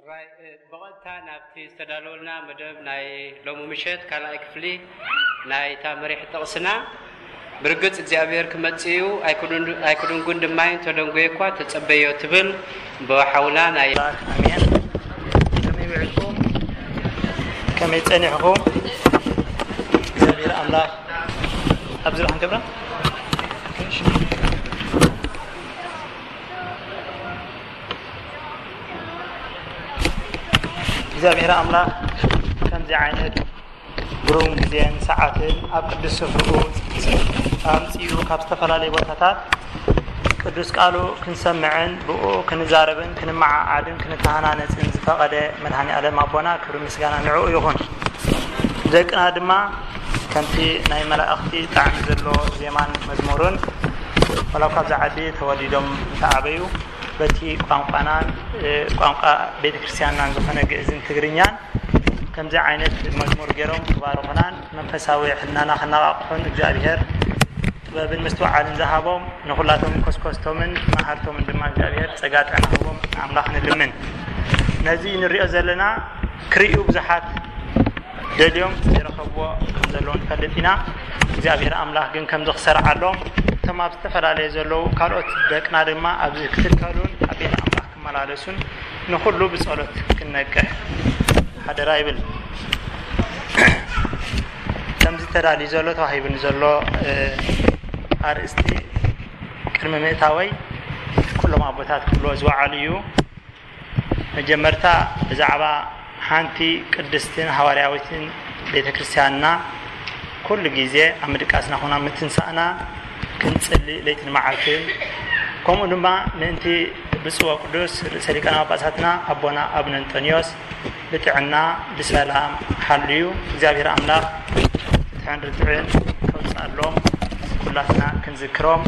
ራይ፣ እ፣ ብቐጥታ ናብቲ ዝተዳለወልና መደብ ናይ ሎሚ ምሸት ካልኣይ ክፍሊ ናይታ መሪሕ ጥቕስና፣ ብርግጽ እግዚኣብሔር ክመጽእ እዩ፣ ኣይክዱን-፣ ኣይክድንጉን ድማ እዩ፣ እንተደንጎየ እኳ ተጸበዮ ትብል ብሓውና ናይ ኣሜን። ከመይ ውዒልኩም? ከመይ ጸኒሕኩም? እግዚኣብሔር ኣምላኽ ኣብዚ ርሓን ገብራ እግዚኣብሔር ኣምላኽ ከምዚ ዓይነት ግሩም ግዜን ሰዓትን ኣብ ቅዱስ ስፍርኡ ኣምጺኡ ካብ ዝተፈላለየ ቦታታት ቅዱስ ቃሉ ክንሰምዕን ብኡ ክንዛረብን ክንመዓዓድን ክንተሃናነጽን ዝፈቐደ መድኃኔ ዓለም ኣቦና ክብሪ ምስጋና ንዕኡ ይኹን። ደቅና ድማ ከምቲ ናይ መላእኽቲ ጣዕሚ ዘለዎ ዜማን መዝሙርን ዋላ እኳ ኣብዚ ዓዲ ተወሊዶም እንተዓበዩ በቲ ቋንቋናን፣ እ፣ ቋንቋ ቤተ ክርስቲያንናን ዝኾነ ግእዝን ትግርኛን ከምዚ ዓይነት መዝሙር ገይሮም ክባርኹናን መንፈሳዊ ሕልናና ከነቓቕሑን እግዚኣብሔር ጥበብን ምስትውዓልን ዝሃቦም ንኹላቶም ኮስኮስቶምን መሃርቶምን ድማ እግዚኣብሔር ጸጋ ጥዕና ክህቦም ኣምላኽ ንልምን። ነዚ ንሪኦ ዘለና ክርእዩ ብዙሓት ደልዮም ዘይረኸብዎ ከም ዘለዉ ንፈልጥ ኢና። እግዚኣብሔር ኣምላኽ ግን ከምዚ ክሰርዓሎም እቶም ኣብ ዝተፈላለየ ዘለዉ ካልኦት ደቅና ድማ ኣብዚ ክትከሉን ኣብ ቤት ኣምላኽ ክመላለሱን ንኹሉ ብጸሎት ክንነቅሕ ሓደራ ይብል። ከምዚ ተዳልዩ ዘሎ ተዋሂቡኒ ዘሎ፣ እ፣ ኣርእስቲ ቅድሚ ምእታወይ ኩሎም ኣቦታት ክብልዎ ዝወዓሉ እዩ። መጀመርታ ብዛዕባ ሓንቲ ቅድስትን ሃዋርያዊትን ቤተ ክርስቲያንና ኩሉ ግዜ ኣብ ምድቃስና ኹና ምትንሳእና ክንጽሊ ለይትን መዓልትን፣ ከምኡ ድማ ምእንቲ ብፁዕ ወቅዱስ ርእሰ ሊቃነ ጳጳሳትና ኣቦና ኣቡነ እንጦንዮስ ብጥዕና ብሰላም ሓልዩ እግዚኣብሔር ኣምላኽ ፍትሕን ርትዕን ከውፅኣሎም ኩላትና ክንዝክሮም፣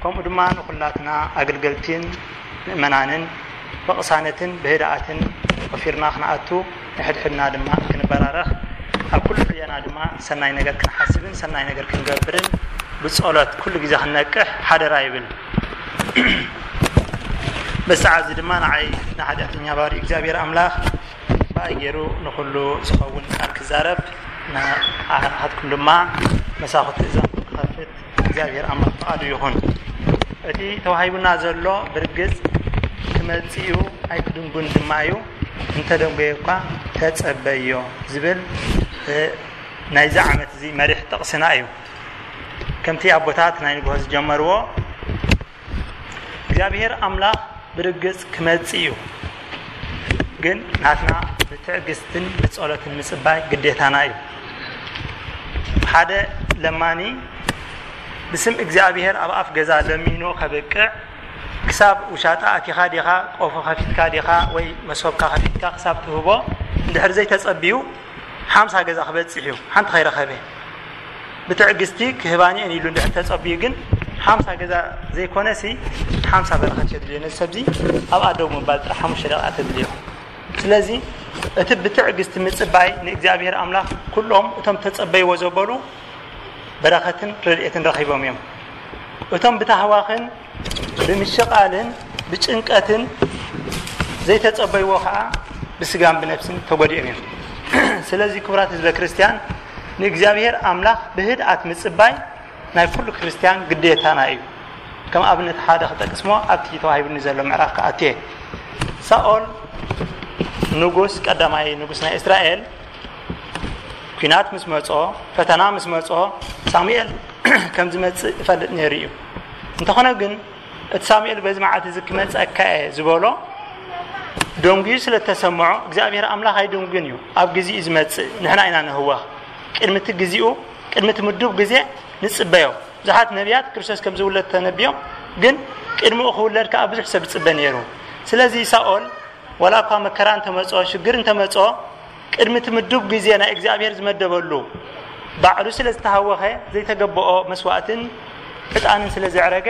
ከምኡ ድማ ንኹላትና ኣገልገልቲን ምእመናንን ብቕሳነትን ብህድኣትን ወፊርና ክንኣቱ ንሕድሕድና ድማ ክንበራረኽ ኣብ ኩሉ ዕዮና ድማ ሰናይ ነገር ክንሓስብን ሰናይ ነገር ክንገብርን ብጸሎት ኩሉ ግዜ ክንነቅሕ ሓደራ ይብል። በዚ ሰዓት እዚ ድማ ንዓይ ንሓጢኣተኛ ባሪ እግዚኣብሔር ኣምላኽ ብኣይ ገይሩ ንኹሉ ዝኸውን ቃል ክዛረብ ንዓኻትኩም ድማ መሳኹቲ እዝንኩም ክኸፍት እግዚኣብሔር ኣምላኽ ፍቓዱ ይኹን። እቲ ተዋሂቡና ዘሎ ብርግጽ ክመጽእ እዩ ኣይክድንጉን ድማ እዩ፣ እንተደንጎየ እኳ ተጸበዮ ዝብል፣ እ፣ ናይዚ ዓመት እዚ መሪሕ ጥቕስና እዩ። ከምቲ ኣቦታት ናይ ንግሆ ዝጀመርዎ እግዚኣብሔር ኣምላኽ ብርግጽ ክመጽእ እዩ። ግን ናትና ብትዕግስትን ብጸሎትን ምጽባይ ግዴታና እዩ። ሓደ ለማኒ ብስም እግዚኣብሔር ኣብ ኣፍ ገዛ ለሚኑ ከብቅዕ ክሳብ ውሻጣ ኣቲኻ ዲኻ፣ ቆፎ ከፊትካ ዲኻ ወይ መሶብካ ከፊትካ ክሳብ ትህቦ እንድሕር ዘይተጸብዩ ሓምሳ ገዛ ክበጽሕ እዩ፣ ሓንቲ ከይረኸበ። ብትዕግስቲ ክህባኒ እየን ኢሉ እንድሕር ተጸብዩ ግን ሓምሳ ገዛ ዘይኮነሲ ሓምሳ በረኸት የድልዮ። ነዚ ሰብዚ ኣብኣ ደው ምባል ጥራሕ ሓሙሽተ ደቂቃ ተድልዮ። ስለዚ እቲ ብትዕግስቲ ምጽባይ ንእግዚኣብሔር ኣምላኽ ኩሎም እቶም ተጸበይዎ ዘበሉ በረኸትን ረድኤትን ረኺቦም እዮም። እቶም ብታህዋኽን ብምሽቓልን ብጭንቀትን ዘይተጸበይዎ ኸኣ ብስጋን ብነፍስን ተጎዲኦም እዮም። ስለዚ ክቡራት ህዝበ ክርስቲያን ንእግዚኣብሔር ኣምላኽ ብህድኣት ምጽባይ ናይ ኩሉ ክርስቲያን ግዴታና እዩ። ከም ኣብነት ሓደ ክጠቅስሞ ኣብቲ ተዋሂቡኒ ዘሎ ምዕራፍ ክኣትየ። ሳኦል ንጉስ፣ ቀዳማይ ንጉስ ናይ እስራኤል፣ ኲናት ምስ መጾ፣ ፈተና ምስ መጾ ሳሙኤል ከም ዝመጽእ ይፈልጥ ነይሩ እዩ። እንተኾነ ግን እቲ ሳሙኤል በዚ መዓልቲ እዚ ክመጸካ እየ ዝበሎ ደንጉዩ ስለ እተሰምዖ እግዚኣብሔር ኣምላኽ ኣይድንጉን እዩ። ኣብ ግዜኡ ዝመጽእ ንሕና ኢና ንህወኽ። ቅድሚ እቲ ግዜኡ፣ ቅድሚ እቲ ምዱብ ግዜ ንጽበዮ። ብዙሓት ነቢያት ክርስቶስ ከም ዝውለድ ተነቢዮም፣ ግን ቅድሚኡ ክውለድ ከኣ ብዙሕ ሰብ ዝጽበ ነይሩ። ስለዚ ሳኦል ዋላ እኳ መከራ እንተመጾ፣ ሽግር እንተመጾ፣ ቅድሚ እቲ ምዱብ ግዜ ናይ እግዚኣብሔር ዝመደበሉ ባዕሉ ስለ ዝተሃወኸ ዘይተገበኦ መስዋእትን ዕጣንን ስለ ዘዕረገ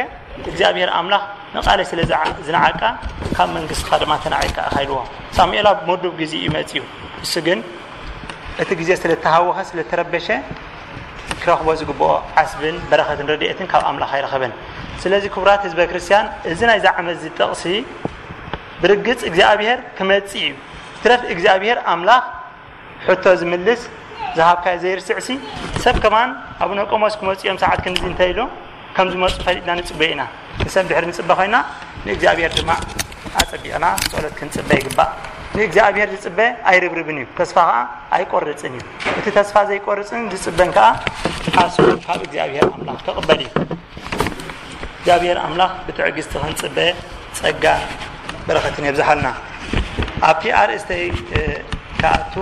እግዚኣብሔር ኣምላኽ ንቓለይ ስለ ዝዓ-፣ ዝነዓቃ ካብ መንግስትኻ ድማ ተናዒቃ ኢኻ ኢልዎ። ሳሙኤል ኣብ ምዱብ ግዜ እዩ መጺኡ። እሱ ግን እቲ ግዜ ስለ እተሃወኸ ስለ እተረበሸ ክረኽቦ ዝግብኦ ዓስብን በረኸትን ረድኤትን ካብ ኣምላኽ ኣይረኸበን። ስለዚ ክቡራት ህዝበ ክርስቲያን እዚ ናይዚ ዓመት እዚ ጥቕሲ ብርግጽ እግዚኣብሔር ክመጽእ እዩ። ትረፍ እግዚኣብሔር ኣምላኽ ሕቶ ዝምልስ ዝሃብካዮ ዘይርስዕሲ ሰብ ከማን ኣቡነ ቆሞስ ክመፁ እዮም ሰዓት ክንዚ እንተ ኢሉ ከም ዝመፁ ፈሊጥና ንፅበ ኢና። ንሰብ ድሕሪ ንፅበ ኮይና ንእግዚኣብሔር ድማ ኣፀቢቕና ጸሎት ክንፅበ ይግባእ። ንእግዚኣብሔር ዝፅበ ኣይርብርብን እዩ፣ ተስፋ ከዓ ኣይቆርፅን እዩ። እቲ ተስፋ ዘይቆርፅን ዝፅበን ከዓ ኣስሉ ካብ እግዚኣብሔር ኣምላኽ ክቕበል እዩ። እግዚኣብሔር ኣምላኽ ብትዕግስቲ ክንፅበ ጸጋ በረኸትን የብዝሓልና። ኣብቲ ኣርእስተይ ክኣቱ፣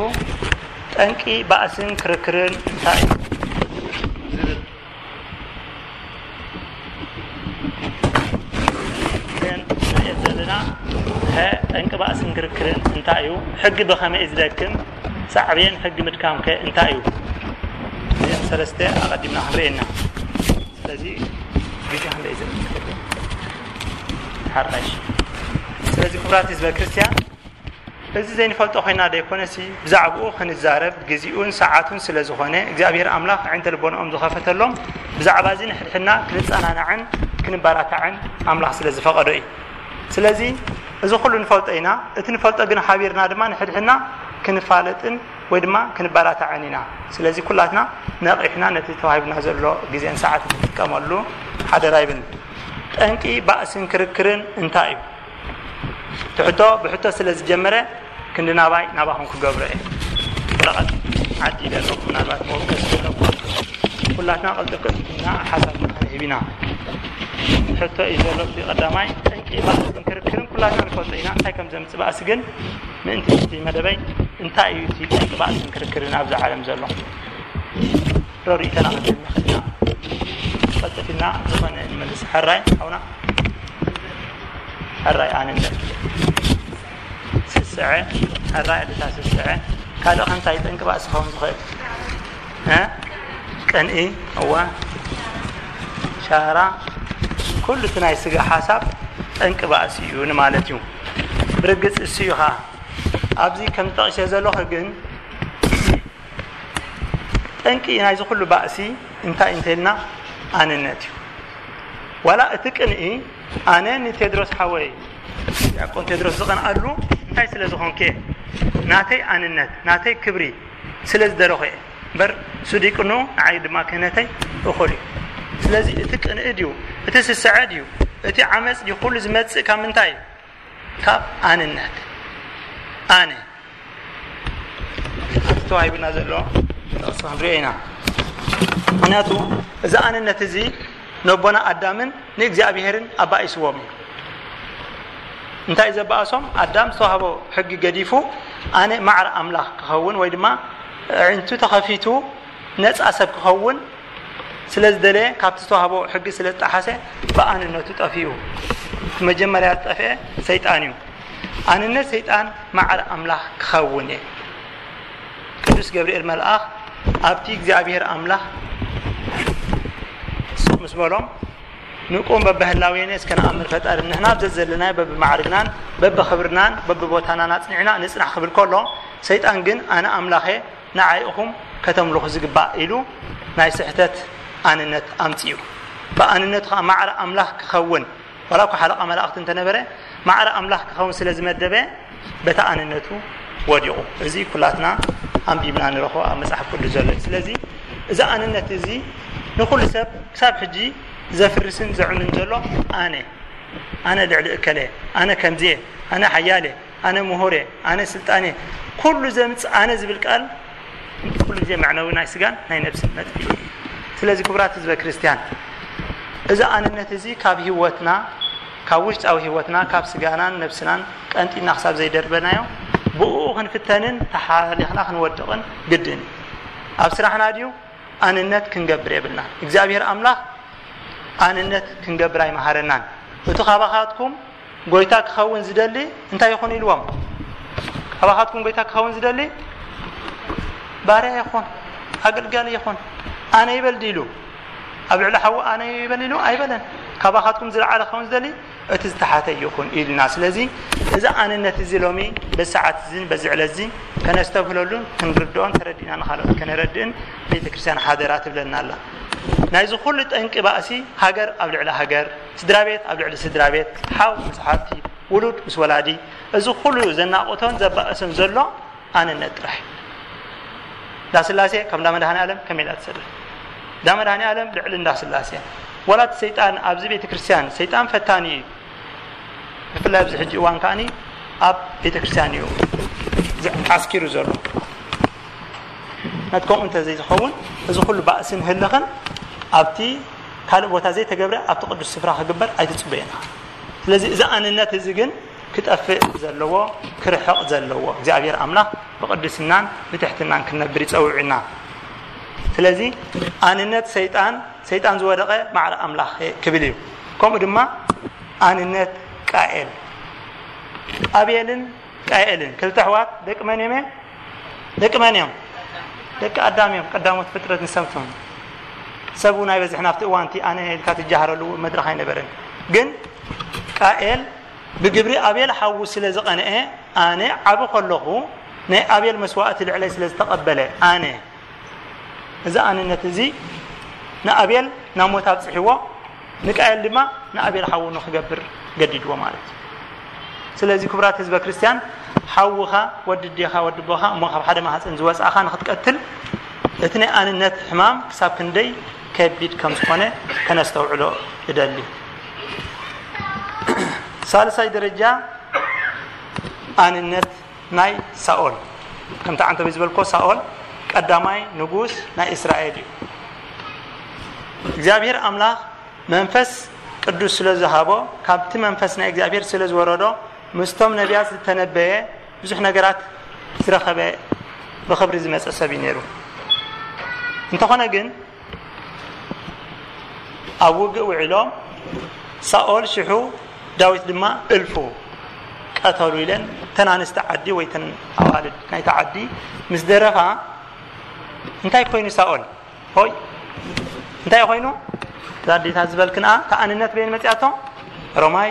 ጠንቂ ባእስን ክርክርን እንታይ እዩ ዝብል ዘን ንሪኦ ዘለና፣ ጠንቂ ባእስን ክርክርን እንታይ እዩ? ሕጊ ብኸመይ እዩ ዝደክም? ሳዕቤን ሕጊ ምድካምከ እንታይ እዩ? እዚን ሰለስተ ኣቐዲምና ክንሪኤና። ስለዚ ግዜ ክንደይ ዘለ ሓራሽ። ስለዚ ክቡራት ህዝበ ክርስቲያን፣ እዚ ዘይንፈልጦ ኮይና ዘይኮነሲ ብዛዕባኡ ክንዛረብ ግዜኡን ሰዓቱን ስለ ዝኾነ እግዚኣብሔር ኣምላኽ ኣዒንተ ልቦናኦም ዝኸፈተሎም ብዛዕባ እዚ ንሕድሕድና ክንጸናናዕን ክንባራታዕን ኣምላኽ ስለ ዝፈቐዶ እዩ። ስለዚ እዚ ኩሉ ንፈልጦ ኢና። እቲ ንፈልጦ ግን ሓቢርና ድማ ንሕድሕድና ክንፋለጥን ወይ ድማ ክንባራታዕን ኢና። ስለዚ ኩላትና ነቒሕና ነቲ ተዋሂብና ዘሎ ግዜን ሰዓት ንጥቀመሉ ሓደራ ይብል። ጠንቂ ባእስን ክርክርን እንታይ እዩ? ትሕቶ ብሕቶ ስለ ዝጀመረ ክንዲ ናባይ ናባኹም ክገብሮ እየ። ወረቐት ዓዲ ኢለ ኣለኹ። ምናልባት መወከሲ ዘለኩም ኩላትና ቅልጥፍ ቅልጥፍና ሓሳብና ክንህብ ኢና። ሕቶ እዩ ዘሎ። እቲ ቀዳማይ ጠንቂ ባእስን ክርክርን ኩላትና ንፈልጦ ኢና። እንታይ ከም ዘምጽእ ባእሲ ግን ምእንቲ እቲ መደበይ እንታይ እዩ እቲ ጠንቂ ባእስን ክርክርን ኣብዚ ዓለም ዘሎ? ዶ ርእይቶና ክንህብ ንኽእል ኢና። ቀልጥፍ ኢልና ዝኾነ ንመልስ። ሕራይ ሓውና፣ ሕራይ ኣነ እንደ ስስዐ፣ ሕራይ ኣደታ ስስዐ። ካልእ ከ እንታይ ጠንቂ ባእሲ ክኸውን ዝኽእል? እ? ቅንኢ፣ እወ። ሻራ፣ ኩሉ እቲ ናይ ስጋ ሓሳብ ጠንቂ ባእሲ እዩ ንማለት እዩ። ብርግጽ እሱ እዩ ኸኣ። ኣብዚ ከም ጠቒሰ ዘለኹ ግን ጠንቂ ናይዚ ኩሉ ባእሲ እንታይ እንተልና ኣነነት እዩ። ዋላ እቲ ቅንኢ ኣነ ንቴድሮስ ሓወይ ዲያቆን ቴድሮስ ዝቐንኣሉ እንታይ ስለ ዝኾንከ ናተይ ኣንነት ናተይ ክብሪ ስለ ዝደለኹ እየ እምበር እሱ ዲቅኑ ንዓይ ድማ ክህነተይ እኹል እዩ። ስለዚ እቲ ቅንኢ ድዩ እቲ ስስዐ ድዩ እቲ ዓመፅ ድዩ ኩሉ ዝመፅእ ካብ ምንታይ እዩ? ካብ ኣንነት ኣነ ኣብቲ ተዋሂቡና ዘሎ ጥቕሲ ክንሪኦ ኢና። ምክንያቱ እዚ ኣንነት እዚ ነቦና ኣዳምን ንእግዚኣብሔርን ኣባኢስዎም እዩ። እንታይ ዘበኣሶም? ኣዳም ዝተዋህቦ ሕጊ ገዲፉ ኣነ ማዕረ ኣምላኽ ክኸውን ወይ ድማ ኣዒንቱ ተኸፊቱ ነፃ ሰብ ክኸውን ስለ ዝደለየ ካብቲ ዝተዋህቦ ሕጊ ስለ ዝጠሓሰ ብኣንነቱ ጠፊኡ። እቲ መጀመርያ ዝጠፍአ ሰይጣን እዩ። ኣንነት ሰይጣን ማዕረ ኣምላኽ ክኸውን እየ። ቅዱስ ገብርኤል መልኣኽ ኣብቲ እግዚኣብሔር ኣምላኽ ስቕ ምስ በሎም ንቁም በብህላዌነ እስከ ንኣምር ፈጣሪ ንሕና ኣብ ዘዘለናዮ በብማዕርግናን በብኽብርናን በብቦታናን ኣጽኒዕና ንጽናሕ ክብል ከሎ ሰይጣን ግን ኣነ ኣምላኸ ንዓይ ኢኹም ከተምልኹ ዝግባእ ኢሉ ናይ ስሕተት ኣንነት ኣምጺኡ። ብኣንነቱ ኸዓ ማዕረ ኣምላኽ ክኸውን ዋላ እኳ ሓለቓ መላእኽቲ እንተነበረ ማዕረ ኣምላኽ ክኸውን ስለ ዝመደበ በታ ኣንነቱ ወዲቑ። እዚ ኩላትና ኣንቢብና ንረኽቦ ኣብ መጽሓፍ ቅዱስ ዘሎ እዩ። ስለዚ እዚ ኣንነት እዚ ንኹሉ ሰብ ክሳብ ሕጂ ዘፍርስን ዘዕኑን ዘሎ ኣነ ኣነ ልዕሊ እከለ ኣነ ከምዚየ ኣነ ሓያለ ኣነ ምሁር እየ ኣነ ስልጣን እየ ኩሉ ዘምፅእ ኣነ ዝብል ቃል ኩሉ ግዜ መዕነዊ ናይ ስጋን ናይ ነብስን መጥፊኢ እዩ። ስለዚ ክቡራት ህዝበ ክርስቲያን እዚ ኣንነት እዚ ካብ ህይወትና ካብ ውሽጣዊ ህይወትና ካብ ስጋናን ነብስናን ቀንጢና ክሳብ ዘይደርበናዮ ብእኡ ክንፍተንን ተሓሊኽና ክንወድቕን ግድን እዩ። ኣብ ስራሕና ድዩ ኣንነት ክንገብር የብልና። እግዚኣብሔር ኣምላኽ ኣንነት ክንገብር ኣይመሃረናን። እቲ ካባኻትኩም ጎይታ ክኸውን ዝደሊ እንታይ ይኹን ኢልዎም? ካባኻትኩም ጎይታ ክኸውን ዝደሊ ባርያ ይኹን ኣገልጋሊ ይኹን ኣነ ይበል ድዩ ኢሉ ኣብ ልዕሊ ሓዉ ኣነ ይበል ኢሉ ኣይበለን። ካባኻትኩም ዝለዓለ ክኸውን ዝደሊ እቲ ዝተሓተ ይኹን ኢልና። ስለዚ እዚ ኣንነት እዚ ሎሚ በዚ ሰዓት እዚን በዚ ዕለት እዚ ከነስተብህለሉን ክንርድኦን ተረዲእና ንኻልኦት ከነረድእን ቤተ ክርስቲያን ሓደራ ትብለና ኣላ። ናይዚ ኩሉ ጠንቂ ባእሲ ሃገር ኣብ ልዕሊ ሃገር፣ ስድራ ቤት ኣብ ልዕሊ ስድራ ቤት፣ ሓው ምስ ሓብቲ፣ ውሉድ ምስ ወላዲ፣ እዚ ኩሉ ዘናቆቶን ዘባእስን ዘሎ ኣንነት ጥራሕ። እንዳ ስላሴ ከም እንዳ መድኃኔ ዓለም ከመይ ኢላ ትሰርሕ? እንዳ መድኃኔ ዓለም ልዕሊ እንዳ ስላሴ። ዋላ እቲ ሰይጣን ኣብዚ ቤተ ክርስቲያን ሰይጣን ፈታኒ እዩ። ብፍላይ ኣብዚ ሕጂ እዋን ከኣኒ ኣብ ቤተ ክርስቲያን እዩ ዓስኪሩ ዘሎ። ናት ከምኡ እንተ ዘይዝኸውን፣ እዚ ኩሉ ባእስን ህልኽን ኣብቲ ካልእ ቦታ ዘይተገብረ ኣብቲ ቅዱስ ስፍራ ክግበር ኣይትጽበየና። ስለዚ እዚ ኣንነት እዚ ግን ክጠፍእ ዘለዎ፣ ክርሕቕ ዘለዎ፣ እግዚኣብሔር ኣምላኽ ብቅድስናን ብትሕትናን ክንነብር ይጸውዕና። ስለዚ ኣንነት ሰይጣን፣ ሰይጣን ዝወደቐ ማዕረ ኣምላኽ ክብል እዩ። ከምኡ ድማ ኣንነት ቃኤል፣ ኣቤልን ቃኤልን ክልተ ኣሕዋት ደቂ መን እዮም? ደቂ መን እዮም? ደቂ ኣዳም እዮም። ቀዳሞት ፍጥረት ንሰብቶም። ሰብ እውን ኣይበዝሕን ኣብቲ እዋን እቲ ኣነ ኢልካ ትጃሃረሉ መድረኽ ኣይነበረን። ግን ቃኤል ብግብሪ ኣቤል ሓዉ ስለ ዝቐንኤ፣ ኣነ ዓቢ ከለኹ ናይ ኣቤል መስዋእቲ ልዕለይ ስለ ዝተቐበለ፣ ኣነ እዚ ኣንነት እዚ ንኣቤል ናብ ሞት ኣብጽሕዎ፣ ንቃኤል ድማ ንኣቤል ሓዉ ንኽገብር ገዲድዎ ማለት እዩ። ስለዚ ክቡራት ህዝበ ክርስቲያን፣ ሓውኻ፣ ወዲ ኣዴኻ፣ ወዲ ኣቦኻ እሞ ካብ ሓደ ማህፀን ዝወፃእኻ ንኽትቀትል፣ እቲ ናይ ኣንነት ሕማም ክሳብ ክንደይ ከቢድ ከም ዝኾነ ከነስተውዕሎ እደሊ። ሳልሳይ ደረጃ፣ ኣንነት ናይ ሳኦል። ከምቲ ዓንተበይ ዝበልኮ፣ ሳኦል ቀዳማይ ንጉስ ናይ እስራኤል እዩ። እግዚኣብሔር ኣምላኽ መንፈስ ቅዱስ ስለ ዝሃቦ፣ ካብቲ መንፈስ ናይ እግዚኣብሔር ስለ ዝወረዶ፣ ምስቶም ነቢያት ዝተነበየ ብዙሕ ነገራት ዝረኸበ፣ ብኽብሪ ዝመጸ ሰብ እዩ ነይሩ። እንተኾነ ግን፣ ኣብ ውግእ ውዒሎም፣ ሳኦል ሽሑ፣ ዳዊት ድማ እልፉ ቀተሉ ኢለን፣ እተን ኣንስቲ ዓዲ ወይ እተን ኣዋልድ ናይታ ዓዲ ምስ ደረፋ፣ እንታይ ኮይኑ ሳኦል? ሆይ፣ እንታይ ኮይኑ? እዛ ኣዴታት ዝበልክንኣ፣ እታ ኣንነት በይን መጺኣቶ? ሮማይ፣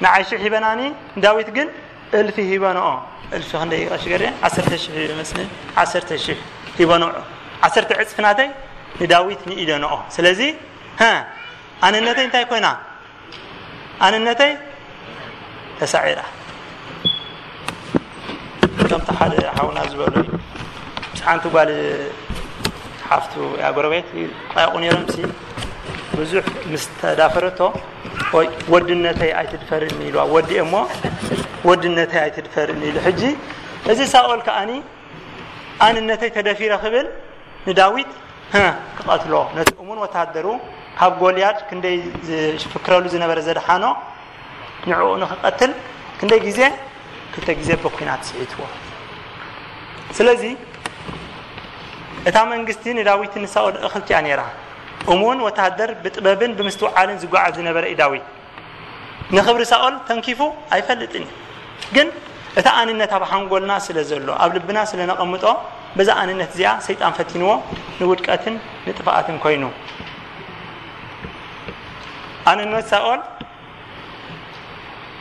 ንዓይ ሽሕ ሂበናኒ፣ ንዳዊት ግን እልፊ ሂበንኦ። እልፊ ክንደይ ቀሺ ገርየ? ዓሰርተ ሽሕ ይመስለኒ። ዓሰርተ ሽሕ ሂበንኦ። ዓሰርተ ዕጽፊ ናተይ ንዳዊት ንኢደንኦ። ስለዚ፣ ሀ፣ ኣንነተይ እንታይ ኮይና? ኣንነተይ ተሳዒራ። ከምቲ ሓደ ሓውና ዝበሎ እዩ። ምስ ሓንቲ ጓል ሓፍቱ፣ ያ ጎረቤት፣ ይጣየቑ ነይሮም ሲ፣ ብዙሕ ምስ ተዳፈረቶ፣ "ወይ ወድነተይ ኣይትድፈርኒ" ኢልዋ። ወዲ እሞ "ወድነተይ ኣይትድፈርኒ" ኢሉ። ሕጂ እዚ ሳኦል ከኣኒ "ኣንነተይ ተደፊረ" ክብል ንዳዊት፣ ህ፣ ክቐትሎ፣ ነቲ እሙን ወተሃደሩ ካብ ጎልያድ ክንደይ ዝፍክረሉ ዝነበረ ዘድሓኖ፣ ንዕኡ ንኽቐትል ክንደይ ግዜ? ክልተ ግዜ ብኲናት ስሒትዎ። ስለዚ እታ መንግስቲ ንዳዊትን ንሳኦል እኽልቲ እያ ነይራ። እሙን ወተሃደር፣ ብጥበብን ብምስትውዓልን ዝጓዓዝ ዝነበረ እዩ ዳዊት። ንኽብሪ ሳኦል ተንኪፉ ኣይፈልጥን እዩ። ግን እታ ኣንነት ኣብ ሓንጎልና ስለ ዘሎ፣ ኣብ ልብና ስለ ነቐምጦ፣ በዛ ኣንነት እዚኣ ሰይጣን ፈቲንዎ፣ ንውድቀትን ንጥፍኣትን ኮይኑ። ኣንነት ሳኦል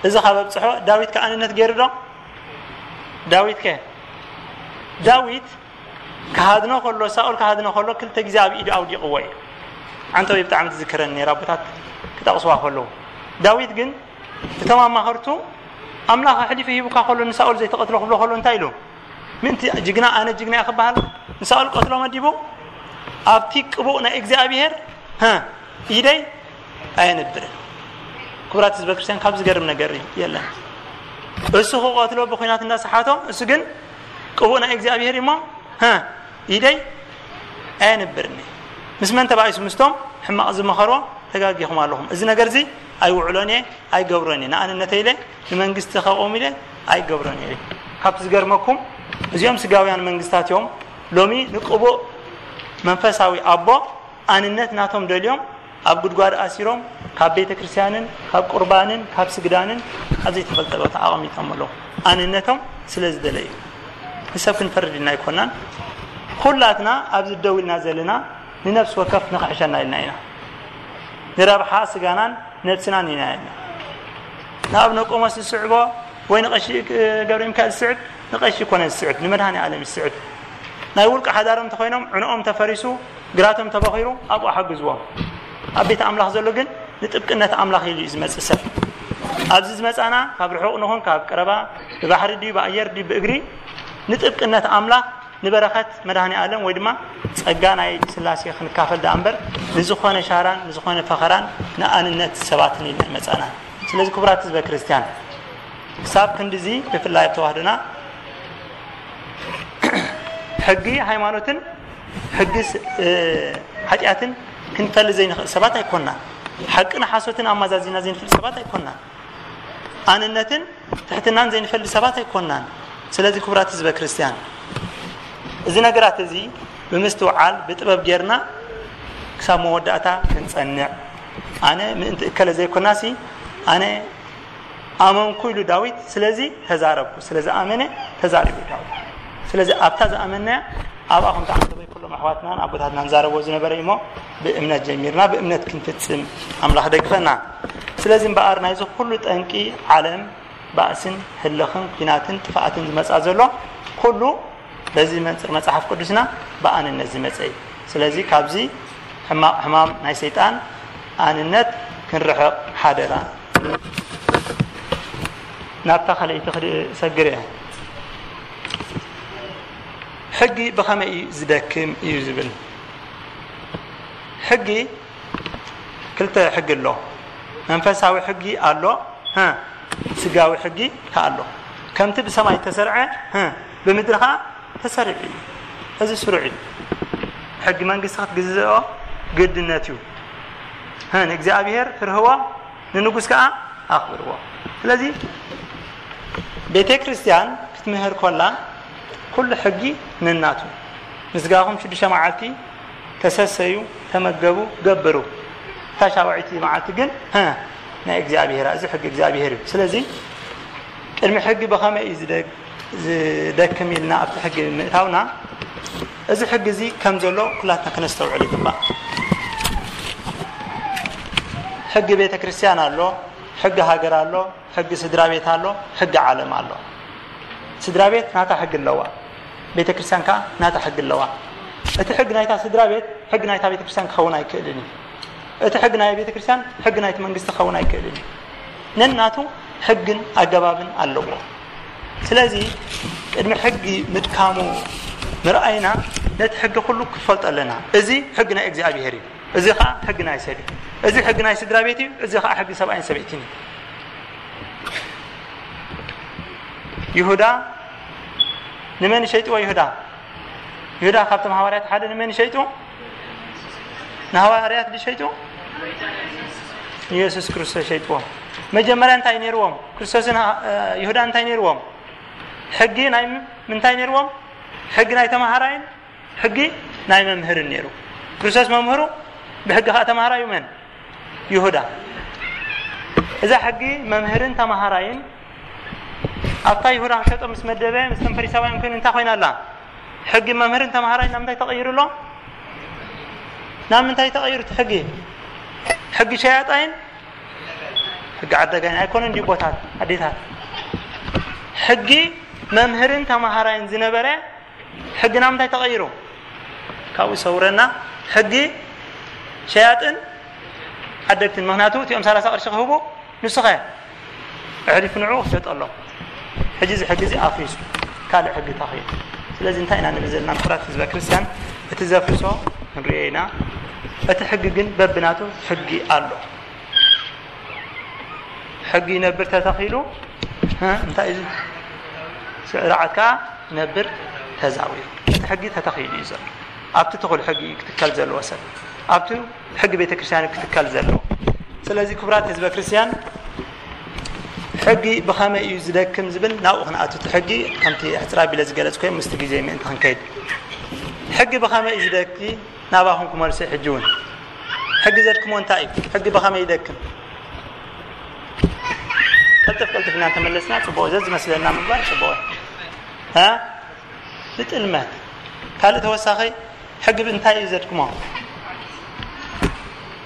እዚ ካብ ኣብጽሖ፣ ዳዊት ከ ኣንነት ገይሩ ዶ? ዳዊት ከ? ዳዊት ክሃድኖ ከሎ፣ ሳኦል ክሃድኖ ከሎ፣ ክልተ ግዜ ኣብ ኢዱ ኣውዲቕዎ እዩ። ዓንተወይ ብጣዕሚ ትዝክረኒ ነይራ፣ ኣቦታት ክጠቕስዋ ከለዉ። ዳዊት ግን እቶም ኣማኸርቱ፣ "ኣምላኽ ኣሕሊፉ ሂቡካ ከሎ፣ ንሳኦል ዘይትቐትሎ" ክብሎ ከሎ እንታይ ኢሉ? "ምእንቲ ጅግና፣ ኣነ ጅግና እየ" ክበሃል፣ ንሳኦል ቀትሎ መዲቡ፣ ኣብቲ ቅቡእ ናይ እግዚኣብሄር፣ ሀ፣ ኢደይ ኣየንብርን። ክቡራት ህዝበ ክርስቲያን፣ ካብ ዝገርም ነገር የለን። እሱ ክቐትሎ ብኲናት እንዳሰሓቶ፣ እሱ ግን ቅቡእ ናይ እግዚኣብሄር እሞ፣ ሀ፣ ኢደይ ኣየንብርን። ምስ መን ተባኢሱ? ምስቶም ሕማቕ ዝመኸርዎ ተጋጊኹም ኣለኹም። እዚ ነገር እዚ ኣይውዕሎን እየ፣ ኣይገብሮን እየ። ንኣንነተይ ኢለ፣ ንመንግስቲ ከቆም ኢለ ኣይገብሮን እየ። ካብቲ ዝገርመኩም፣ እዚኦም ስጋውያን መንግስታት እዮም ሎሚ ንቅቡእ መንፈሳዊ ኣቦ ኣንነት ናቶም ደልዮም ኣብ ጉድጓድ ኣሲሮም፣ ካብ ቤተ ክርስቲያንን ካብ ቁርባንን ካብ ስግዳንን ኣብ ዘይተፈልጠ ቦታ ኣቐሚጦም ኣለዉ። ኣንነቶም ስለ ዝደለዩ። ንሰብ ክንፈርድ ኢልና ኣይኮናን። ኩላትና ኣብዚ ደው ኢልና ዘለና ንነፍሲ ወከፍ ንኽሕሸና ኢልና ኢና። ንረብሓ ስጋናን ነብስናን ኢና ኢልና። ንኣብነ ቆሞስ ዝስዕቦ ወይ ንቐሺ ገብረ ሚካኤል ዝስዕብ፣ ንቐሺ ኮነ ዝስዕብ፣ ንመድኃኔ ዓለም ዝስዕብ። ናይ ውልቂ ሓዳሮም እንተኾይኖም፣ ዕንኦም ተፈሪሱ፣ ግራቶም ተበኺሩ፣ ኣብኡ ሓግዝዎም። ኣብ ቤት ኣምላኽ ዘሎ ግን ንጥብቅነት ኣምላኽ ኢሉ እዩ ዝመጽእ ሰብ። ኣብዚ ዝመጻና ካብ ርሑቕ ንኹን ካብ ቀረባ፣ ብባሕሪ ድዩ ብኣየር ድዩ ብእግሪ፣ ንጥብቅነት ኣምላኽ፣ ንበረኸት መድኃኔ ዓለም ወይ ድማ ጸጋ ናይ ሥላሴ ክንካፈል ደኣ እምበር፣ ንዝኾነ ሻራን ንዝኾነ ፈኸራን ንኣንነት ሰባትን ኢልና ኣይመጻናን። ስለዚ ክቡራት ህዝበ ክርስቲያን፣ ክሳብ ክንድዚ ብፍላይ ኣብ ተዋህዶና ሕጊ ሃይማኖትን ሕጊ ስ-፣ እ፣ ሓጢኣትን ክንፈሊ ዘይንኽእል ሰባት ኣይኮናን። ሓቅን ሓሶትን ኣማዛዚና ዘይንፍል ሰባት ኣይኮናን። ኣንነትን ትሕትናን ዘይንፈሊ ሰባት ኣይኮናን። ስለዚ ክቡራት ህዝበ ክርስቲያን፣ እዚ ነገራት እዚ ብምስትውዓል ብጥበብ ጌርና ክሳብ መወዳእታ ክንጸንዕ፣ ኣነ ምእንቲ እከለ ዘይኮናሲ፣ ኣነ ኣመንኩ ኢሉ ዳዊት፣ ስለዚ ተዛረብኩ፣ ስለ ዝኣመነ ተዛሪቡ ዳዊት። ስለዚ ኣብታ ዝኣመንናያ ኣብኣ ከም ተዓዘበ ኩሎም ኣሕዋትናን ኣቦታትናን ዛረብዎ ዝነበረ እዩ እሞ፣ ብእምነት ጀሚርና ብእምነት ክንፍጽም ኣምላኽ ደግፈና። ስለዚ እምበኣር ናይዚ ኩሉ ጠንቂ ዓለም፣ ባእስን ህልኽን ኲናትን ጥፍኣትን ዝመጻ ዘሎ ኩሉ በዚ መንጽር መጽሓፍ ቅዱስና ብኣንነት ዝመጸ እዩ። ስለዚ ካብዚ ሕማቕ ሕማም ናይ ሰይጣን ኣንነት ክንርሕቕ ሓደራ። ናብታ ካልኣይቲ ክድ-፣ ሰግር እየ። ሕጊ ብኸመይ እዩ ዝደክም እዩ ዝብል። ሕጊ ክልተ ሕጊ ኣሎ። መንፈሳዊ ሕጊ ኣሎ፣ ሀ፣ ስጋዊ ሕጊ ከኣ ኣሎ። ከምቲ ብሰማይ ተሰርዐ፣ ሀ፣ ብምድሪ ከኣ ተሰሪዑ እዩ። እዚ ስሩዕ እዩ። ሕጊ መንግስቲ ክትግዝኦ ግድነት እዩ። ሀ፣ ንእግዚኣብሔር ፍርህዎ፣ ንንጉስ ከኣ ኣኽብርዎ። ስለዚ ቤተ ክርስቲያን ክትምህር ኮላ ኩሉ ሕጊ ነናቱ። ምስጋኹም ሽዱሽተ መዓልቲ ተሰሰዩ፣ ተመገቡ፣ ገብሩ። እታ ሻውዓይቲ መዓልቲ ግን፣ ሀ፣ ናይ እግዚኣብሔር፣ እዚ ሕጊ እግዚኣብሔር እዩ። ስለዚ ቅድሚ ሕጊ ብኸመይ እዩ ዝደግ-፣ ዝደክም ኢልና ኣብቲ ሕጊ ምእታውና፣ እዚ ሕጊ እዚ ከም ዘሎ ኩላትና ከነስተውዕል ይግባእ። ሕጊ ቤተ ክርስቲያን ኣሎ፣ ሕጊ ሃገር ኣሎ፣ ሕጊ ስድራ ቤት ኣሎ፣ ሕጊ ዓለም ኣሎ። ስድራ ቤት ናታ ሕጊ ኣለዋ፣ ቤተ ክርስቲያን ከኣ ናታ ሕጊ ኣለዋ። እቲ ሕጊ ናይታ ስድራ ቤት ሕጊ ናይታ ቤተ ክርስቲያን ክኸውን ኣይክእልን እዩ። እቲ ሕጊ ናይ ቤተ ክርስቲያን ሕጊ ናይቲ መንግስቲ ክኸውን ኣይክእልን እዩ። ነናቱ ሕግን ኣገባብን ኣለዎ። ስለዚ ቅድሚ ሕጊ ምድካሙ ምርኣይና ነቲ ሕጊ ኩሉ ክፈልጦ ኣለና። እዚ ሕጊ ናይ እግዚኣብሔር እዩ። እዚ ኸዓ ሕጊ ናይ ሰብ እዩ። እዚ ሕጊ ናይ ስድራ ቤት እዩ። እዚ ኸዓ ሕጊ ሰብኣይን ሰበይትን እዩ። ይሁዳ ንመን ሸይጥዎ? ይሁዳ፣ ይሁዳ ካብቶም ሃዋርያት ሓደ ንመን ሸይጡ? ንሃዋርያት ድዩ ሸይጡ? ንየሱስ ክርስቶስ ሸይጥዎ። መጀመርያ እንታይ ነይርዎም? ክርስቶስን፣ እ፣ ይሁዳን እንታይ ነይርዎም? ሕጊ ናይ ም-፣ ምንታይ ነይርዎም? ሕጊ ናይ ተማሃራይን ሕጊ ናይ መምህርን ነይሩ። ክርስቶስ መምህሩ፣ ብሕጊ ኸዓ ተማሃራዩ መን? ይሁዳ። እዛ ሕጊ መምህርን ተማሃራይን ኣብታ ይሁዳ ክሸጦ ምስ መደበ፣ ምስቶም ፈሪሳውያን ኮይኑ እንታይ ኮይና ኣላ? ሕጊ መምህርን ተማሃራይን ናብ ምንታይ ተቐይሩ ኣሎ? ናብ ምንታይ ተቐይሩ እቲ ሕጊ? ሕጊ ሸያጣይን ሕጊ ዓዳጋይን ኣይኮነን ድዩ? ኣቦታት፣ ኣዴታት፣ ሕጊ መምህርን ተማሃራይን ዝነበረ ሕጊ ናብ ምንታይ ተቐይሩ? ካብኡ ሰውረና። ሕጊ ሸያጥን ዓደግትን። ምኽንያቱ እቲኦም ሰላሳ ቅርሺ ክህቡ፣ ንሱ ኸ ኣሕሊፉ ንዕኡ ክሸጠሎም። ሕጂ እዚ ሕጊ እዚ ኣፍሪሱ ካልእ ሕጊ ተኺሉ። ስለዚ እንታይ ኢና ንብል ዘለና? ክቡራት ህዝበ ክርስቲያን፣ እቲ ዘፍርሶ ንሪኦ ኢና። እቲ ሕጊ ግን በብናቱ ሕጊ ኣሎ። ሕጊ ይነብር ተተኺሉ፣ እ፣ እንታይ እዩ? ስርዓት ከኣ ይነብር ተዛዊሩ። እቲ ሕጊ ተተኺሉ እዩ ዘሎ። ኣብቲ ትኹል ሕጊ እዩ ክትከል ዘለዎ ሰብ። ኣብቲ ሕጊ ቤተ ክርስቲያን እዩ ክትከል ዘለዎ። ስለዚ ክቡራት ህዝበ ክርስቲያን፣ ሕጊ ብኸመይ እዩ ዝደክም ዝብል ናብኡ ክንኣቱ። እቲ ሕጊ ከምቲ ሕጽር ኣቢለ ዝገለጽኩ ምስቲ ግዜ ምእንቲ ክንከይድ። ሕጊ ብኸመይ እዩ ዝደኪ ናባኹም ክመልሶ። ሕጂ እውን ሕጊ ዘድክሞ እንታይ እዩ? ሕጊ ብኸመይ ይደክም? ቅልጥፍ ቅልጥፍ ኢና እንተመለስና ጽቡቕ፣ ዘዝመስለና ምግባር ጽቡቕ። እ? ብጥልመት። ካልእ ተወሳኺ ሕጊ እንታይ እዩ ዘድክሞ?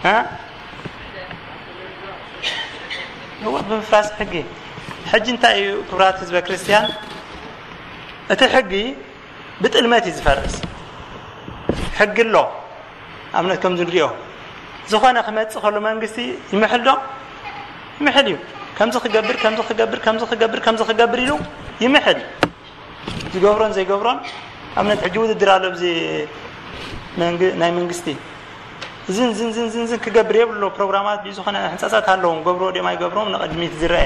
እ? እወ፣ ብምፍራስ ሕጊ። ሕጂ እንታይ እዩ ክቡራት ህዝበ ክርስቲያን? እቲ ሕጊ ብጥልመት እዩ ዝፈርስ። ሕጊ ኣሎ። ኣብነት ከምዚ ንሪኦ፣ ዝኾነ ክመጽእ ከሎ መንግስቲ ይምሕል ዶ? ይምሕል እዩ። ከምዚ ክገብር ከምዚ ክገብር ከምዚ ክገብር ከምዚ ክገብር ኢሉ ይምሕል። ዝገብሮን ዘይገብሮን ኣብነት ሕጂ ውድድር ኣሎ ብዚ መንግ- ናይ መንግስቲ ዝን ዝን ዝን ዝን ዝን ክገብር የብሎ። ፕሮግራማት ብዝኾነ ሕንፃፃት ኣለዎም። ገብሮ ደማ ይገብሮም ንቕድሚት ዝረአ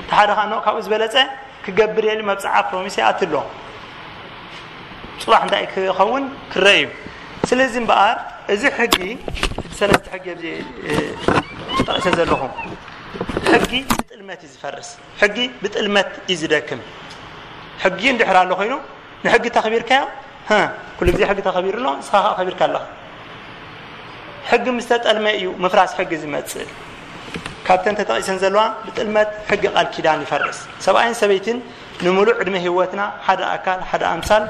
ተሓደ ኻኖ ካብኡ ዝበለፀ ክገብር የሊ መብፅዓ ፕሮሚስ ይኣትሎ። ፅባሕ እንታይ ክኸውን ክረአ እዩ። ስለዚ እምበኣር እዚ ሕጊ፣ እቲ ሰለስተ ሕጊ ኣብዚ ጠቒሰ ዘለኹ ሕጊ ብጥልመት እዩ ዝፈርስ። ሕጊ ብጥልመት እዩ ዝደክም። ሕጊ እንድሕር ኣሎ ኮይኑ ንሕጊ ተኽቢርካዮ፣ ኩሉ ግዜ ሕጊ ተኸቢሩ ኣሎ፣ ንስኻ ከዓ ከቢርካ ኣለኻ። ሕጊ ምስ ተጠልመ እዩ ምፍራስ ሕጊ ዝመፅእ። ካብተን ተጠቒሰን ዘለዋ ብጥልመት ሕጊ ቃል ኪዳን ይፈርስ። ሰብኣይን ሰበይትን ንምሉእ ዕድመ ህይወትና ሓደ ኣካል ሓደ ኣምሳል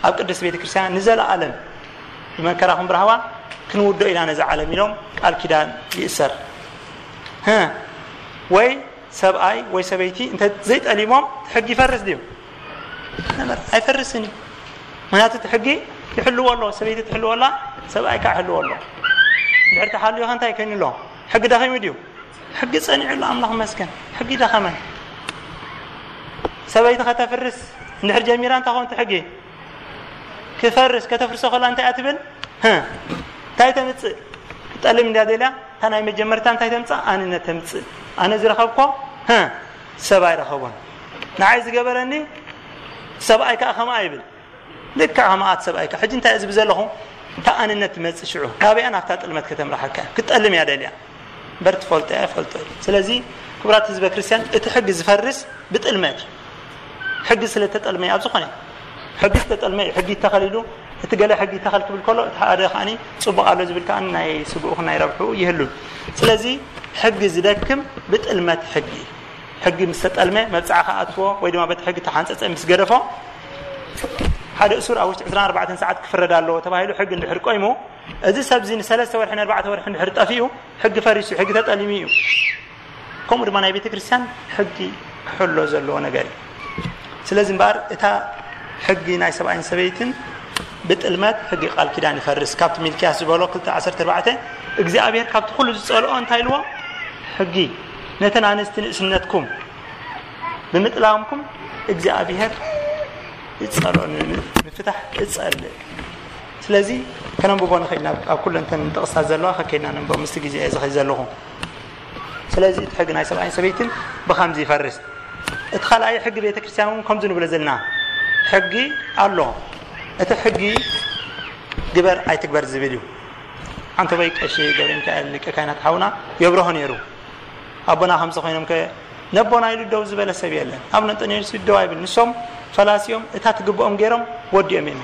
ኣብ ቅድስት ቤተ ክርስቲያን ንዘለኣለም ብመከራኹም ብራህዋ ክንውዶ ኢና ነዚ ዓለም ኢሎም ቃል ኪዳን ይእሰር። ወይ ሰብኣይ ወይ ሰበይቲ እንተ ዘይጠሊሞም እቲ ሕጊ ይፈርስ ድዩ? ኣይፈርስን እዩ። ምክንያቱ እቲ ሕጊ ይሕልዎ ኣሎ፣ ሰበይቲ ትሕልዎ ኣላ፣ ሰብኣይ ከዓ ይሕልዎ ኣሎ። እንድሕር ተሓልዮ ከ እንታይ ኮይኑ ኣሎ? ሕጊ ደኺሙ ድዩ? ሕጊ ጸኒዑ ኣሎ። ኣምላኽ ይመስገን። ሕጊ ደኸመን። ሰበይቲ ከተፍርስ እንድሕር ጀሚራ እንታይ ኾን እቲ ሕጊ ክፈርስ ከተፍርሶ ከላ እንታይ እያ ትብል? እንታይ ተምፅእ? ክጠልም እንድያ ደልያ እታ ናይ መጀመርታ እንታይ ተምፅእ? ኣንነት ተምፅእ። ኣነ ዝረኸብኮ ሰብ ኣይረኸቦን። ንዓይ ዝገበረኒ ሰብኣይ ከዓ ከምኣ ይብል። ልክዕ ከምኣት ሰብኣይ ከዓ ሕጂ እንታይ ዝብ ዘለኹ? እታ ኣንነት ትመፅእ ሽዑ ናበያ ናብታ ጥልመት ከተምራሓካ ክትጠልም እያ ደልያ። በር ትፈልጦ እያ ፈልጦ እዩ። ስለዚ ክቡራት ህዝበ ክርስቲያን እቲ ሕጊ ዝፈርስ ብጥልመት እዩ። ሕጊ ስለተጠልመ ኣብ ዝኾነ ሕጊ ዝተጠልመ እዩ። ሕጊ ይተኸል ኢሉ እቲ ገለ ሕጊ ይተኸል ክብል ከሎ እቲ ሓደ ከዓኒ ፅቡቕ ኣሎ ዝብል ከዓኒ ናይ ስግኡ ናይ ረብሑ ይህሉን። ስለዚ ሕጊ ዝደክም ብጥልመት ሕጊ እዩ። ሕጊ ምስ ተጠልመ መብፅዓ ከኣትዎ ወይ ድማ በቲ ሕጊ ተሓንፀፀ ምስ ገደፎ ሓደ እሱር ኣብ ውሽጢ ዕስራን ኣርባዕተን ሰዓት ክፍረድ ኣለዎ ተባሂሉ ሕጊ እንድሕር ቆይሙ እዚ ሰብዚ ንሰለስተ ወርሒ ንኣርባዕተ ወርሒ እንድሕር ጠፊኡ ሕጊ ፈሪሱ ሕጊ ተጠሊሙ እዩ። ከምኡ ድማ ናይ ቤተ ክርስቲያን ሕጊ ክሕሎ ዘለዎ ነገር እዩ። ስለዚ እምበኣር እታ ሕጊ ናይ ሰብኣይን ሰበይትን ብጥልመት ሕጊ ቃል ኪዳን ይፈርስ። ካብቲ ሚልክያስ ዝበሎ ክልተ ዓሰርተ ኣርባዕተ እግዚኣብሔር ካብቲ ኩሉ ዝጸልኦ እንታይ ኢልዎ? ሕጊ ነተን ኣንስቲ ንእስነትኩም ብምጥላምኩም እግዚኣብሔር ይጸልኦ፣ ንምፍታሕ እጸልእ። ስለዚ ከነንብቦ ንኽእል ኢና። ኣብ ኩለን እተን ጥቕስታት ዘለዋ ከከይድና ነንብቦ፣ ምስቲ ግዜ እየ ዝኸይ ዘለኹ። ስለዚ እቲ ሕጊ ናይ ሰብኣይን ሰበይትን ብኸምዚ ይፈርስ። እቲ ካልኣይ ሕጊ ቤተ ክርስቲያን እውን ከምዚ ንብሎ ዘለና ሕጊ ኣሎ። እቲ ሕጊ ግበር ኣይትግበር ዝብል እዩ። ዓንተቦይ ቀሺ ገብረ ሚካኤል ሊቀ ካህናት ሓውና የብርሆ ነይሩ። ኣቦና ከምዚ ኮይኖም ከ ነቦና ኢሉ ደው ዝበለ ሰብ የለን። ኣቡነ እንጠንዮስ ደው ኣይብል። ንሶም ፈላሲ እዮም፣ እታ ትግብኦም ገይሮም ወዲኦም እዮም።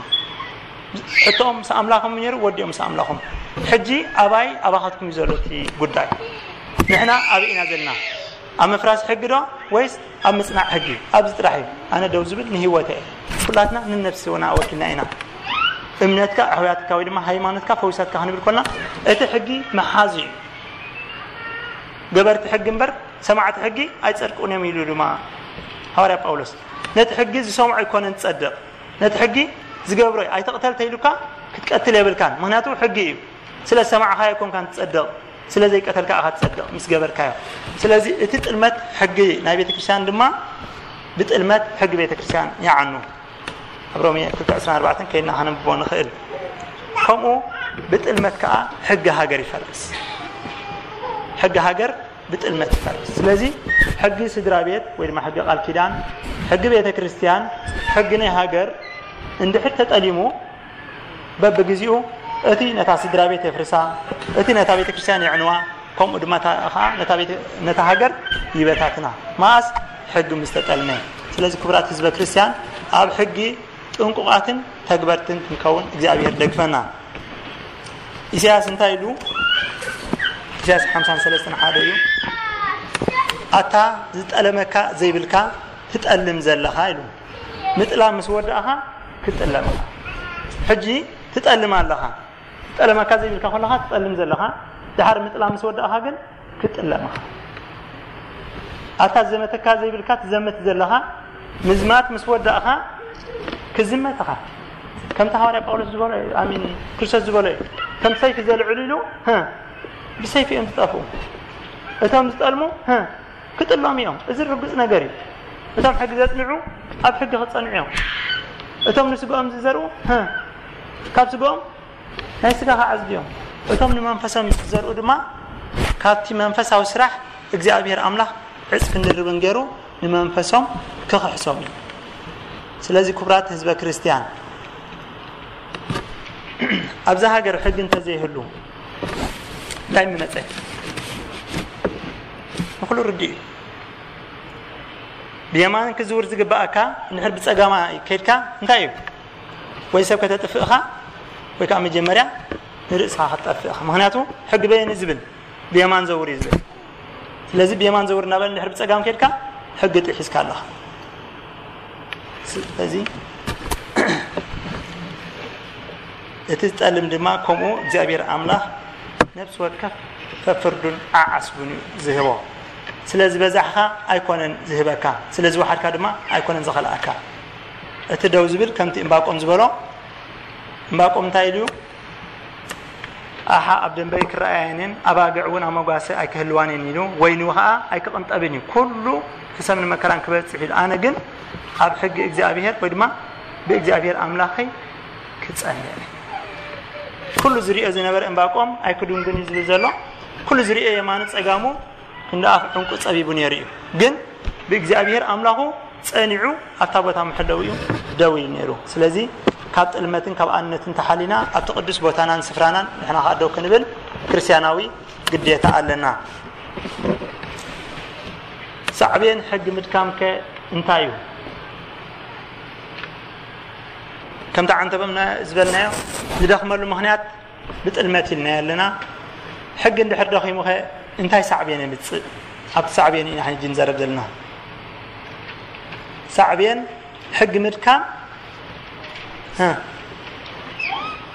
ሕቶኦም ምስ ኣምላኾም ነይሩ፣ ወዲኦም ምስ ኣምላኾም። ሕጂ ኣባይ ኣባኻትኩም እዩ ዘሎ እቲ ጉዳይ። ንሕና ኣበይ ኢና ዘለና? ኣብ ምፍራስ ሕጊ ዶ ወይስ ኣብ ምጽናዕ ሕጊ? ኣብዚ ጥራሕ እዩ። ኣነ ደው ዝብል ንህይወተይ እየ። ኩላትና ንነፍስና ወኪልና ኢና። እምነትካ ኣሕውያትካ ወይ ድማ ሃይማኖትካ ፈዊሳትካ ክንብል ኮልና እቲ ሕጊ መሓዙ እዩ። ገበርቲ ሕጊ እምበር ሰማዕቲ ሕጊ ኣይጸድቁን እዮም ኢሉ ድማ ሃዋርያ ጳውሎስ። ነቲ ሕጊ ዝሰምዖ ኣይኮነን ዝጸድቕ፣ ነቲ ሕጊ ዝገብሮ እዩ። ኣይትቕተል ተይሉካ ክትቀትል የብልካን፣ ምኽንያቱ ሕጊ እዩ። ስለ ዝሰማዕኻዮ ኣይኮንካን ትጸድቕ፣ ስለ ዘይቀተልካ ኢኻ ትጸድቕ ምስ ገበርካዮ። ስለዚ እቲ ጥልመት ሕጊ ናይ ቤተ ክርስቲያን ድማ ብጥልመት ሕጊ ቤተ ክርስቲያን ይዓኑ። ኣብ ሮሜ ክልተ ዕስራን ኣርባዕተን ከይድና ከነንብቦ ንኽእል። ከምኡ ብጥልመት ከኣ ሕጊ ሃገር ይፈርስ። ሕጊ ሃገር ብጥልመት ይፈርስ። ስለዚ ሕጊ ስድራ ቤት ወይ ድማ ሕጊ ቃል ኪዳን፣ ሕጊ ቤተ ክርስቲያን፣ ሕጊ ናይ ሃገር እንድሕር ተጠሊሙ በብግዜኡ እቲ ነታ ስድራ ቤት የፍርሳ፣ እቲ ነታ ቤተ ክርስቲያን የዕንዋ፣ ከምኡ ድማ እታ- ኸዓ ነታ ቤተ- ነታ ሃገር ይበታትና። መኣስ ሕጊ ምስ ተጠልመ። ስለዚ ክቡራት ህዝበ ክርስቲያን ኣብ ሕጊ ጥንቁቓትን ተግበርትን ክንከውን እግዚኣብሔር ደግፈና። ኢሳያስ እንታይ ኢሉ? ኢሳያስ ሓምሳን ሰለስተን ሓደ እዩ። ኣታ ዝጠለመካ ዘይብልካ ትጠልም ዘለኻ ኢሉ። ምጥላም ምስ ወዳእኻ ክትጥለም ኢኻ። ሕጂ ትጠልም ኣለኻ። ዝጠለመካ ዘይብልካ ከለኻ ትጠልም ዘለኻ፣ ድሓር ምጥላም ምስ ወዳእኻ ግን ክትጥለም ኢኻ። ኣታ ዝዘመተካ ዘይብልካ ትዘምት ዘለኻ፣ ምዝማት ምስ ወዳእኻ ክዝመት ኢኻ። ከምቲ ሃዋርያ ጳውሎስ ዝበሎ እዩ፣ ኣሚን ክርስቶስ ዝበሎ እዩ። ከም ሰይፊ ዘልዕሉ ኢሉ፣ ህ፣ ብሰይፊ እዮም ዝጠፍኡ። እቶም ዝጠልሙ፣ ህ፣ ክጥሎም እዮም። እዚ ርግጽ ነገር እዩ። እቶም ሕጊ ዘጽንዑ ኣብ ሕጊ ክጸንዑ እዮም። እቶም ንስጋኦም ዝዘርኡ፣ ህ፣ ካብ ስጋኦም ናይ ስጋ ክዓጽዱ እዮም። እቶም ንመንፈሶም ዝዘርኡ ድማ ካብቲ መንፈሳዊ ስራሕ እግዚኣብሔር ኣምላኽ ዕጽፍን ድርብን ገይሩ ንመንፈሶም ክኽሕሶም እዩ። ስለዚ ክቡራት ህዝበ ክርስቲያን፣ ኣብዛ ሃገር ሕጊ እንተዘይህሉ እንታይ ምመጸ? ንኹሉ ርድእ እዩ። ብየማን ክዝውር ዝግባኣካ እንድሕር ብጸጋማ ከድካ እንታይ እዩ? ወይ ሰብ ከተጥፍእኻ ወይ ከዓ መጀመርያ ንርእስኻ ክትጠፍእኻ። ምኽንያቱ ሕጊ በየን ዝብል ብየማን ዘውር እዩ ዝብል። ስለዚ ብየማን ዘውር እናበለ እንድሕር ብጸጋም ከድካ ሕጊ ጥሒስካ ኣለኻ። ስለዚ እቲ ዝጠልም ድማ ከምኡ እግዚኣብሔር ኣምላኽ ነፍሲ ወከፍ ፈፍርዱን ዓዓስቡን እዩ ዝህቦ። ስለ ዝበዛሕካ ኣይኮነን ዝህበካ፣ ስለ ዝወሓድካ ድማ ኣይኮነን ዝኸልኣካ። እቲ ደው ዝብል ከምቲ እምባቆም ዝበሎ፣ እምባቆም እንታይ ኢሉ እዩ? ኣሓ ኣብ ደንበይ ክረኣየንን ኣባግዕ እውን ኣብ መጓሰ ኣይክህልዋንን ኢሉ፣ ወይኑ ኸኣ ኣይክቕንጠብን እዩ፣ ኩሉ ክሰምን መከራን ክበጽሕ ኢሉ። ኣነ ግን ኣብ ሕጊ እግዚኣብሔር ወይ ድማ ብእግዚኣብሔር ኣምላኸይ ክጸንዕ። ኩሉ ዝሪኦ ዝነበረ እምባቆም ኣይክድንግን እዩ ዝብል ዘሎ። ኩሉ ዝሪኦ የማኑ ጸጋሙ እንደ ኣፍ ዕንቁ ጸቢቡ ነይሩ እዩ። ግን ብእግዚኣብሔር ኣምላኹ ጸኒዑ ኣብታ ቦታ መሐለዊኡ ደው ኢሉ ነይሩ። ስለዚ ካብ ጥልመትን ካብ ኣንነትን ተሓሊና ኣብቲ ቅዱስ ቦታናን ስፍራናን ንሕና ከኣ ደው ክንብል ክርስትያናዊ ግዴታ ኣለና። ሳዕቤን ሕጊ ምድካምከ እንታይ እዩ? ከምቲ ዓንተበምና ዝበልናዮ ዝደኽመሉ ምኽንያት ብጥልመት ኢልናዮ ኣለና። ሕጊ እንድሕር ደኺሙኸ እንታይ ሳዕቤን የምጽእ? ኣብቲ ሳዕቤን ኢና ሕጂ ንዘረብ ዘለና። ሳዕቤን ሕጊ ምድካም፣ እ፣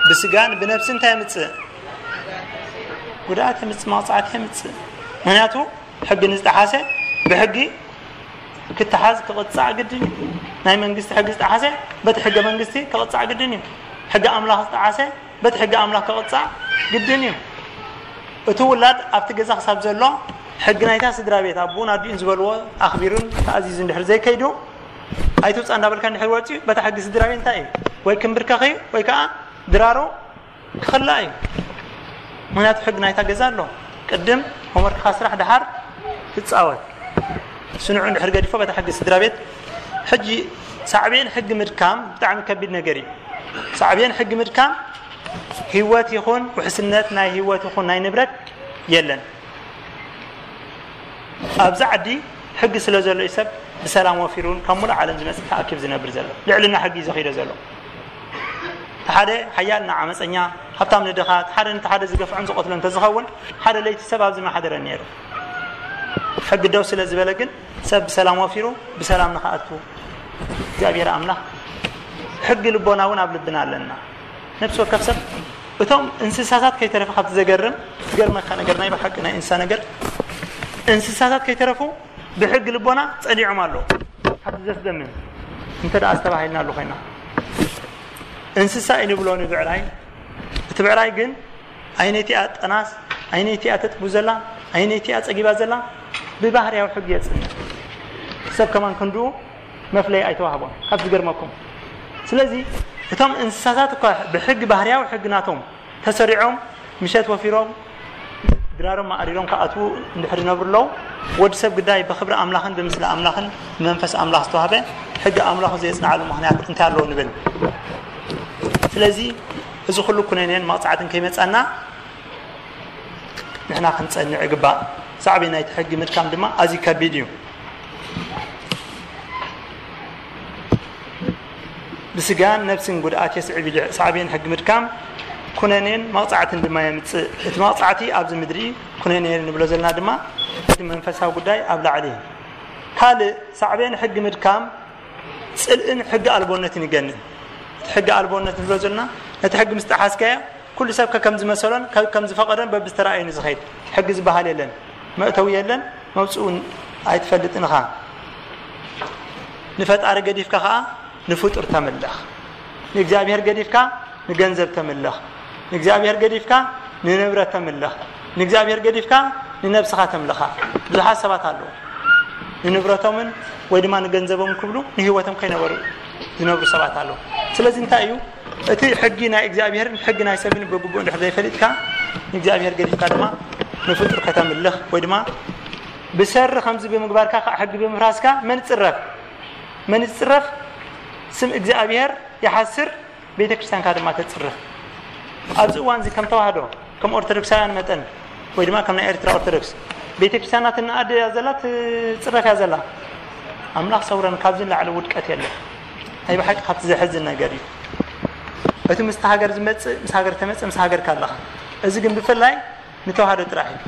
ብስጋን ብነፍስን እንታይ የምጽእ? ጉድኣት የምጽእ፣ መቕጻዕቲ የምጽእ። ምኽንያቱ ሕጊ ንዝጠሓሰ ብሕጊ ክተሓዝ ክቕጻዕ ግድን እዩ። ናይ መንግስቲ ሕጊ ዝጠሓሰ በቲ ሕገ መንግስቲ ክቕጻዕ ግድን እዩ። ሕጊ ኣምላኽ ዝጠሓሰ በቲ ሕጊ ኣምላኽ ክቕጻዕ ግድን እዩ። እቲ ውላድ ኣብቲ ገዛ ክሳብ ዘሎ ሕጊ ናይታ ስድራ ቤት ኣቦኡን ኣዲኡን ዝበልዎ ኣኽቢሩን ተኣዚዙ እንድሕር ዘይከይዱ ኣይትውጻእ እንዳበልካ እንድሕር ወጺኡ በታ ሕጊ ስድራ ቤት እንታይ እዩ? ወይ ክምብርከኽ እዩ ወይ ከዓ ድራሩ ክኽላእ እዩ። ምኽንያቱ ሕጊ ናይታ ገዛ ኣሎ። ቅድም ሆምወርክኻ ስራሕ ደሓር ትጻወት። ስንዑ እንድሕር ገዲፎ በታ ሕጊ ስድራ ቤት። ሕጂ ሳዕቤን ሕጊ ምድካም ብጣዕሚ ከቢድ ነገር እዩ። ሳዕቤን ሕጊ ምድካም ህይወት ይኹን ውሕስነት ናይ ህይወት ይኹን ናይ ንብረት የለን። ኣብዚ ዓዲ ሕጊ ስለ ዘሎ እዩ ሰብ ብሰላም ወፊሩን ካብ ሙሉእ ዓለም ዝመጽእ ተኣኪብ ዝነብር ዘሎ። ልዕልና ሕጊ እዩ ዘኺዶ ዘሎ። እቲ ሓደ ሓያል ንዓመፀኛ፣ ሃብታም ንድኻ፣ እቲ ሓደ ነቲ ሓደ ዝገፍዖን ዝቐትሎ እንተዝኸውን ሓደ ለይቲ ሰብ ኣብዚ ምሓደረ ነይሩ። ሕጊ ደው ስለ ዝበለ ግን ሰብ ብሰላም ወፊሩ ብሰላም ንኽኣቱ እግዚኣብሔር ኣምላኽ ሕጊ ልቦና እውን ኣብ ልብና ኣለና። ነፍሲ ወከፍ ሰብ እቶም እንስሳታት ከይተረፈ ካብቲ ዘገርም ዝገርመካ ነገር ናይ ብሓቂ ናይ እንስሳ ነገር እንስሳታት ከይተረፉ ብሕጊ ልቦና ጸኒዖም ኣለዉ። ካብቲ ዘስደምም እንተ ደኣ ኣስተባሂልና ኣሉ ኮይና እንስሳ እዩ ንብሎ ንብዕራይ። እቲ ብዕራይ ግን ኣይነቲኣ ጠናስ ኣይነቲኣ ተጥቡ ዘላ ኣይነቲኣ ጸጊባ ዘላ ብባህርያዊ ሕጊ የጽንዕ። ሰብ ከማን ክንድኡ መፍለይ ኣይተዋህቦን። ካብ ዝገርመኩም ስለዚ እቶም እንስሳታት እኳ ብሕጊ ባህርያዊ ሕጊ ናቶም ተሰሪዖም ምሸት ወፊሮም ድራሮም ማዕሪሮም ክኣትዉ እንድሕር ይነብሩ ኣለዉ። ወዲ ሰብ ግዳይ ብኽብሪ ኣምላኽን ብምስሊ ኣምላኽን ብመንፈስ ኣምላኽ ዝተዋህበ ሕጊ ኣምላኹ ዘየጽንዓሉ ምኽንያት እንታይ ኣለዎ ንብል። ስለዚ እዚ ኩሉ ኩነኔን መቕጻዕትን ከይመጻና ንሕና ክንጸንዕ ይግባእ። ሳዕቤን ናይቲ ሕጊ ምድካም ድማ ኣዝዩ ከቢድ እዩ። ብስጋን ነፍስን ጉድኣት የስዕብ ኢሉ ሳዕቤን ሕጊ ምድካም ኩነኔን መቕጻዕትን ድማ የምጽእ። እቲ መቕጻዕቲ ኣብዚ ምድሪ ኩነኔ ንብሎ ዘለና ድማ እቲ መንፈሳዊ ጉዳይ ኣብ ላዕሊ እዩ። ካልእ ሳዕቤን ሕጊ ምድካም ጽልእን ሕጊ ኣልቦነትን ይገንን። እቲ ሕጊ ኣልቦነት ንብሎ ዘለና ነቲ ሕጊ ምስ ጠሓስካዮ ኩሉ ሰብ ከከም ዝመሰሎን ከከም ዝፈቐዶን በብዝተራእየኒ ዝኸይድ ሕጊ ዝበሃል የለን። መእተዊ የለን፣ መውፅኡ እውን ኣይትፈልጥን ኢኻ። ንፈጣሪ ገዲፍካ ኸዓ ንፍጡር ተምልኽ። ንእግዚኣብሔር ገዲፍካ ንገንዘብ ተምልኽ። ንእግዚኣብሔር ገዲፍካ ንንብረት ተምልኽ። ንእግዚኣብሔር ገዲፍካ ንነብስኻ ተምልኻ። ብዙሓት ሰባት ኣለዉ። ንንብረቶምን ወይ ድማ ንገንዘቦም ክብሉ ንህይወቶም ከይነበሩ ዝነብሩ ሰባት ኣለዉ። ስለዚ እንታይ እዩ እቲ ሕጊ ናይ እግዚኣብሔርን ሕጊ ናይ ሰብን ብግቡእ እንድሕር ዘይፈሊጥካ ንእግዚኣብሔር ገዲፍካ ድማ ንፍጡር ከተምልኽ ወይ ድማ ብሰሪ ከምዚ ብምግባርካ ከዓ ሕጊ ብምፍራስካ መን ይፅረፍ? መን ይፅረፍ? ስም እግዚኣብሔር ይሓስር፣ ቤተ ክርስቲያንካ ድማ ተፅርፍ። ኣብዚ እዋን እዚ ከም ተዋህዶ ከም ኦርቶዶክሳውያን መጠን ወይ ድማ ከም ናይ ኤርትራ ኦርቶዶክስ ቤተ ክርስቲያናት እናኣደ እያ ዘላ፣ ትፅረፍ እያ ዘላ። ኣምላኽ ሰውረን፣ ካብዚ ንላዕሊ ውድቀት የለ። ናይ ብሓቂ ካብቲ ዘሕዝን ነገር እዩ። እቲ ምስቲ ሃገር ዝመፅእ ምስ ሃገር ተመፅእ ምስ ሃገር ካለኻ፣ እዚ ግን ብፍላይ ንተዋህዶ ጥራሕ እዩ።